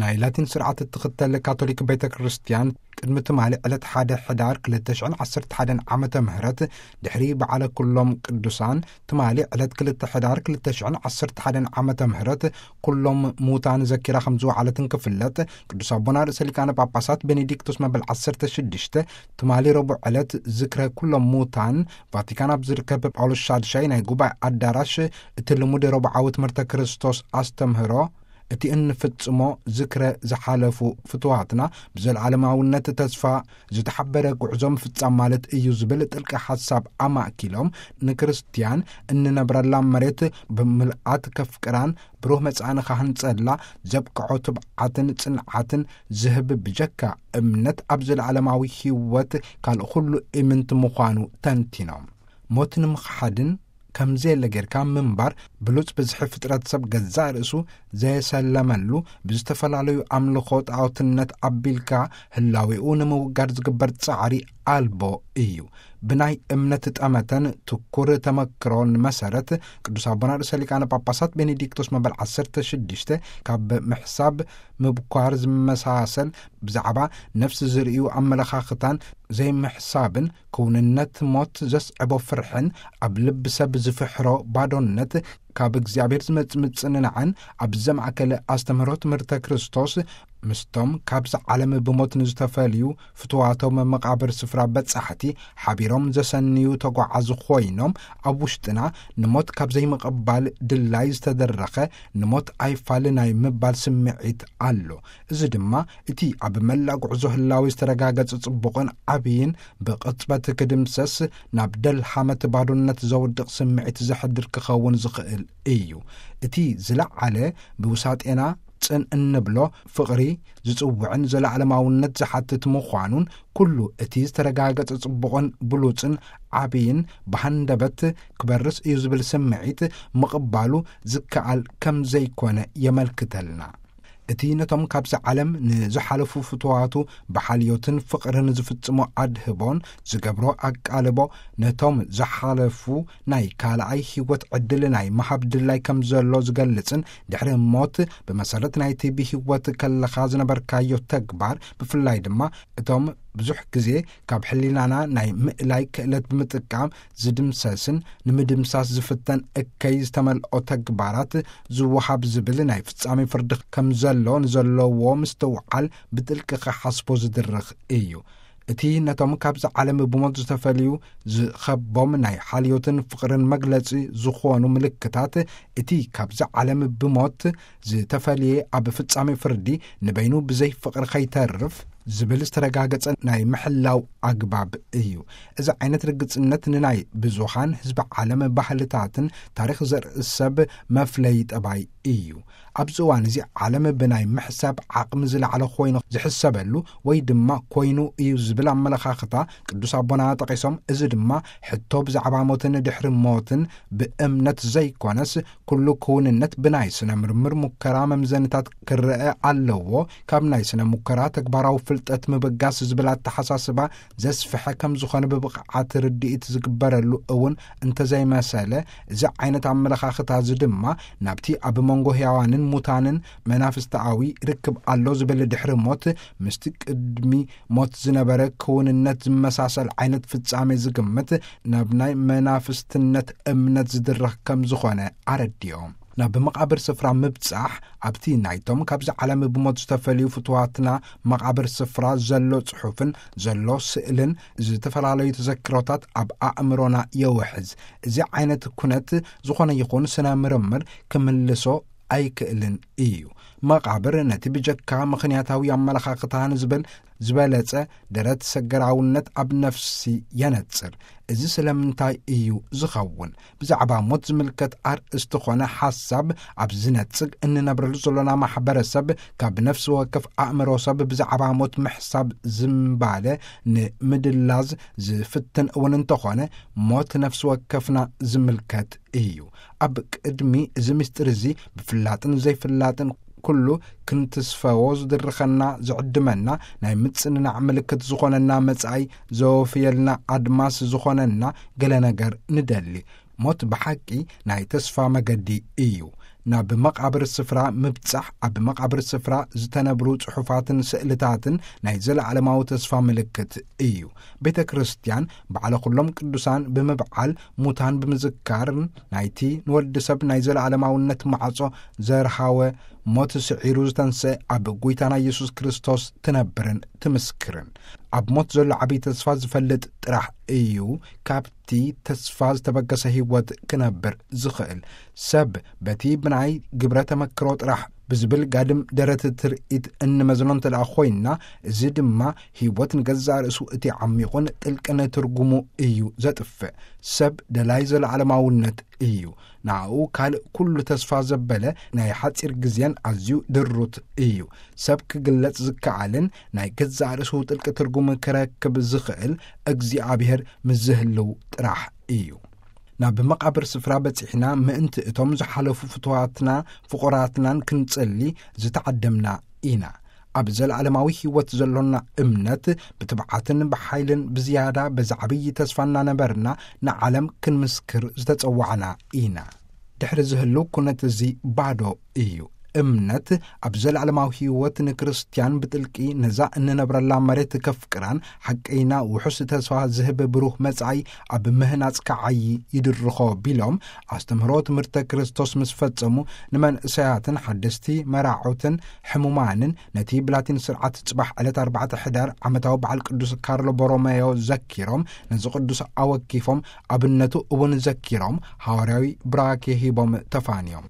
ናይ ላቲን ስርዓት እትኽተል ካቶሊክ ቤተ ክርስቲያን ቅድሚ ትማሊ ዕለት ሓደ ሕዳር ክልተ ሽሕን ዓሰርተ ሓደን ዓመተ ምህረት፣ ድሕሪ በዓለ ኩሎም ቅዱሳን ትማሊ ዕለት ክልተ ሕዳር ክልተ ሽሕን ዓሰርተ ሓደን ዓመተ ምህረት ኩሎም ሙታን ዘኪራ ከም ዝወዓለትን ክፍለጥ፣ ቅዱስ ኣቦና ርእሰ ሊቃነ ጳጳሳት ቤኔዲክቶስ መበል ዓሰርተ ሽዱሽተ ትማሊ ረቡዕ ዕለት ዝክረ ኩሎም ሙታን ቫቲካን ኣብ ዝርከብ ጳውሎስ ሻድሻይ ናይ ጉባኤ ኣዳራሽ እቲ ልሙድ ረቡዓዊ ትምህርተ ክርስቶስ ኣስተምህሮ፣ እቲ እንፍጽሞ ዝክረ ዝሓለፉ ፍትዋትና ብዘለዓለማውነት ተስፋ ዝተሓበረ ጉዕዞ ምፍጻም ማለት እዩ ዝብል ጥልቂ ሓሳብ ኣማእኪሎም፣ ንክርስትያን እንነብረላ መሬት ብምልኣት ከፍቅራን ብሩህ መጻኢ ንኸህንጸላ ዘብቅዖ ትብዓትን ጽንዓትን ዝህብ ብጀካ እምነት ኣብ ዘለዓለማዊ ህይወት ካልእ ኩሉ ኢምንት ምዃኑ ተንቲኖም። ሞት ንምኽሓድን ከም ዘየለ ጌርካ ምንባር ብሉጽ ብዝሒ ፍጥረት ሰብ ገዛእ ርእሱ ዘየሰለመሉ፣ ብዝተፈላለዩ ኣምልኾ ጣዖትነት ኣቢልካ ህላዌኡ ንምውጋድ ዝግበር ጻዕሪ ኣልቦ እዩ። ብናይ እምነት ጠመተን ትኩር ተመክሮን መሰረት፣ ቅዱስ ኣቦና ርእሰ ሊቃነ ጳጳሳት ቤኔዲክቶስ መበል ዓሰርተ ሽዱሽተ ካብ ምሕሳብ ምብኳር ዝመሳሰል ብዛዕባ ነፍሲ ዝርእዩ ኣመለኻኽታን ዘይምሕሳብን ክውንነት ሞት ዘስዕቦ ፍርሕን ኣብ ልቢ ሰብ ዝፍሕሮ ባዶነት ካብ እግዚኣብሔር ዝመጽእ ምጽንናዕን ኣብ ዘማእከለ ኣስተምህሮ ትምህርተ ክርስቶስ ምስቶም ካብዚ ዓለም ብሞት ንዝተፈልዩ ፍትዋቶም መቓብር ስፍራ በጻሕቲ ሓቢሮም ዘሰንዩ ተጓዓዚ ኮይኖም ኣብ ውሽጥና ንሞት ካብ ዘይምቕባል ድላይ ዝተደረኸ ንሞት ኣይፋል ናይ ምባል ስምዒት ኣሎ። እዚ ድማ እቲ ኣብ መላእ ጉዕዞ ህላዊ ዝተረጋገጸ ጽቡቕን ዓብይን ብቕጽበት ክድምሰስ ናብ ደልሃመት ባዶነት ዘውድቕ ስምዒት ዘሕድር ክኸውን ዝኽእል እዩ። እቲ ዝለዓለ ብውሳጤና ጽን እንብሎ ፍቕሪ ዝጽውዕን ዘለዓለማውነት ዝሓትት ምዃኑን ኩሉ እቲ ዝተረጋገጸ ጽቡቕን ብሉጽን ዓብይን ብሃንደበት ክበርስ እዩ ዝብል ስምዒት ምቕባሉ ዝከኣል ከም ዘይኮነ የመልክተልና። እቲ ነቶም ካብዚ ዓለም ንዝሓለፉ ፍትዋቱ ብሓልዮትን ፍቕርን ዝፍጽሞ ኣድህቦን ዝገብሮ ኣቃልቦ ነቶም ዝሓለፉ ናይ ካልኣይ ህይወት ዕድል ናይ ምሃብ ድላይ ከም ዘሎ ዝገልጽን ድሕሪ ሞት ብመሰረት ናይቲ ብህይወት ከለኻ ዝነበርካዮ ተግባር ብፍላይ ድማ እቶም ብዙሕ ግዜ ካብ ሕሊናና ናይ ምእላይ ክእለት ብምጥቃም ዝድምሰስን ንምድምሳስ ዝፍተን እከይ ዝተመልኦ ተግባራት ዝወሃብ ዝብል ናይ ፍጻሜ ፍርዲ ከም ዘሎ ንዘለዎ ምስትውዓል ብጥልቂ ክሓስቦ ዝድርኽ እዩ። እቲ ነቶም ካብዚ ዓለም ብሞት ዝተፈልዩ ዝኸቦም ናይ ሓልዮትን ፍቕርን መግለጺ ዝኾኑ ምልክታት፣ እቲ ካብዚ ዓለም ብሞት ዝተፈልየ ኣብ ፍጻሜ ፍርዲ ንበይኑ ብዘይ ፍቕሪ ከይተርፍ ዝብል ዝተረጋገጸ ናይ ምሕላው ኣግባብ እዩ። እዚ ዓይነት ርግጽነት ንናይ ብዙኻን ህዝቢ ዓለም ባህልታትን ታሪኽ ዘርኢ ሰብ መፍለይ ጠባይ እዩ። ኣብዚ እዋን እዚ ዓለም ብናይ ምሕሳብ ዓቕሚ ዝለዓለ ኮይኑ ዝሕሰበሉ ወይ ድማ ኮይኑ እዩ ዝብል ኣመለኻኽታ ቅዱስ ኣቦና ጠቒሶም፣ እዚ ድማ ሕቶ ብዛዕባ ሞትን ድሕሪ ሞትን ብእምነት ዘይኮነስ ኩሉ ክውንነት ብናይ ስነ ምርምር ሙከራ መምዘንታት ክረአ ኣለዎ። ካብ ናይ ስነ ሙከራ ተግባራዊ ፍልጠት ምብጋስ ዝብል ኣተሓሳስባ ዘስፍሐ ከም ዝኾነ ብብቕዓት ርድኢት ዝግበረሉ እውን እንተዘይመሰለ፣ እዚ ዓይነት ኣመለኻኽታ እዚ ድማ ናብቲ ኣብ መንጎ ህያዋንን ሙታንን መናፍስታዊ ርክብ ኣሎ ዝብል ድሕሪ ሞት ምስቲ ቅድሚ ሞት ዝነበረ ክውንነት ዝመሳሰል ዓይነት ፍጻሜ ዝግምት ናብ ናይ መናፍስትነት እምነት ዝድረኽ ከም ዝኾነ ኣረዲኦም። ናብ መቓብር ስፍራ ምብጻሕ ኣብቲ ናይቶም ካብዚ ዓለም ብሞት ዝተፈልዩ ፍትዋትና መቓብር ስፍራ ዘሎ ጽሑፍን ዘሎ ስእልን ዝተፈላለዩ ተዘክሮታት ኣብ ኣእምሮና የውሕዝ። እዚ ዓይነት ኩነት ዝኾነ ይኹን ስነ ምርምር ክምልሶ ኣይክእልን እዩ። መቓብር ነቲ ብጀካ ምኽንያታዊ ኣመለኻኽታ ንዝብል ዝበለጸ ደረት ሰገራውነት ኣብ ነፍሲ የነጽር። እዚ ስለምንታይ እዩ ዝኸውን? ብዛዕባ ሞት ዝምልከት ኣርእስቲ ኾነ ሓሳብ ኣብ ዝነጽግ እንነብረሉ ዘሎና ማሕበረሰብ ካብ ነፍሲ ወከፍ ኣእምሮ ሰብ ብዛዕባ ሞት ምሕሳብ ዝምባለ ንምድላዝ ዝፍትን እውን እንተኾነ ሞት ነፍሲ ወከፍና ዝምልከት እዩ። ኣብ ቅድሚ እዚ ምስጢር እዚ ብፍላጥን ዘይፍላጥን ኩሉ ክንትስፈዎ ዝድርኸና ዝዕድመና ናይ ምጽንናዕ ምልክት ዝኾነና መጻኢ ዘወፍየልና ኣድማስ ዝኾነና ገለ ነገር ንደሊ። ሞት ብሓቂ ናይ ተስፋ መገዲ እዩ። ናብ መቓብር ስፍራ ምብጻሕ፣ ኣብ መቓብር ስፍራ ዝተነብሩ ጽሑፋትን ስእልታትን ናይ ዘለዓለማዊ ተስፋ ምልክት እዩ። ቤተ ክርስቲያን ባዕለ ኩሎም ቅዱሳን ብምብዓል፣ ሙታን ብምዝካርን ናይቲ ንወዲ ሰብ ናይ ዘለዓለማውነት ማዕጾ ዘርሃወ ሞት ስዒሩ ዝተንስአ ኣብ ጐይታና ኢየሱስ ክርስቶስ ትነብርን ትምስክርን። ኣብ ሞት ዘሎ ዓብዪ ተስፋ ዝፈልጥ ጥራሕ እዩ ካብቲ ተስፋ ዝተበገሰ ህይወት ክነብር ዝኽእል። ሰብ በቲ ብናይ ግብረ ተመክሮ ጥራሕ ብዝብል ጋድም ደረት ትርኢት እንመዝኖ እንተ ደኣ ኮይንና፣ እዚ ድማ ህይወት ንገዛእ ርእሱ እቲ ዓሚቑን ጥልቅን ትርጉሙ እዩ ዘጥፍእ። ሰብ ደላይ ዘለዓለማውነት እዩ። ንኣኡ ካልእ ኩሉ ተስፋ ዘበለ ናይ ሓጺር ግዜን ኣዝዩ ድሩት እዩ። ሰብ ክግለጽ ዝከኣልን ናይ ገዛእ ርእሱ ጥልቂ ትርጉም ክረክብ ዝኽእል እግዚኣብሔር ምስ ዝህልው ጥራሕ እዩ። ናብ መቓብር ስፍራ በጺሕና ምእንቲ እቶም ዝሓለፉ ፍቱዋትና ፍቑራትናን ክንጽሊ ዝተዓደምና ኢና። ኣብ ዘለዓለማዊ ህይወት ዘሎና እምነት ብትብዓትን ብሓይልን ብዝያዳ በዚ ዓብዪ ተስፋ እናነበርና ንዓለም ክንምስክር ዝተጸዋዕና ኢና። ድሕሪ ዝህልው ኩነት እዚ ባዶ እዩ። እምነት ኣብ ዘለዓለማዊ ህይወት ንክርስትያን ብጥልቂ ነዛ እንነብረላ መሬት ከፍቅራን ሓቀይና ውሑስ ተስፋ ዝህብ ብሩህ መጻኢ ኣብ ምህናጽ ከዓዪ ይድርኾ ቢሎም ኣስተምህሮ ትምህርተ ክርስቶስ ምስ ፈጸሙ ንመንእሰያትን ሓደስቲ መራዑትን ሕሙማንን ነቲ ብላቲን ስርዓት ጽባሕ ዕለት ኣርባዕተ ሕዳር ዓመታዊ በዓል ቅዱስ ካርሎ ቦሮሜዮ ዘኪሮም ነዚ ቅዱስ ኣወኪፎም ኣብነቱ እውን ዘኪሮም ሃዋርያዊ ብራኬ ሂቦም ተፋንዮም።